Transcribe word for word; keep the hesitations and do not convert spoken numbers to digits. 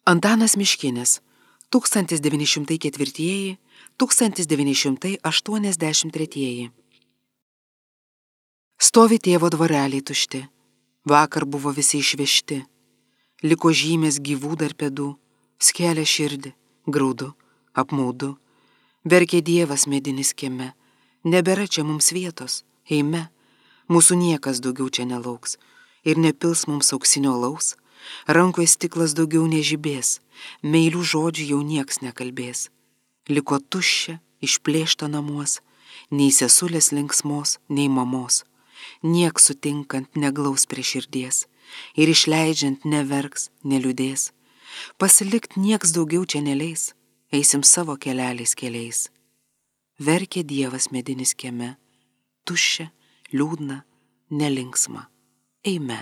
Antanas Miškinis, tūkstantis devyni šimtai ketvirtieji - tūkstantis devyni šimtai aštuoniasdešimt tretieji. Stovi tėvo dvareliai tušti, vakar buvo visi išvežti, liko žymės gyvų dar pėdų, skelia širdį, graudu, apmaudu, verkė Dievas medinis kieme, nebėra čia mums vietos, eime, mūsų niekas daugiau čia nelauks ir nepils mums auksinio alaus, rankoje stiklas daugiau nežibės, meilių žodžių jau nieks nekalbės, liko tuščia, išplėšta namuos, nei sesulės linksmos, nei mamos, nieks sutinkant neglaus prie širdies ir išleidžiant neverks, neliūdės, pasilikt nieks daugiau čia neleis, eisim savo keleliais keliais. Verkė Dievas medinis kieme, tuščia, liūdna, nelinksma, eime.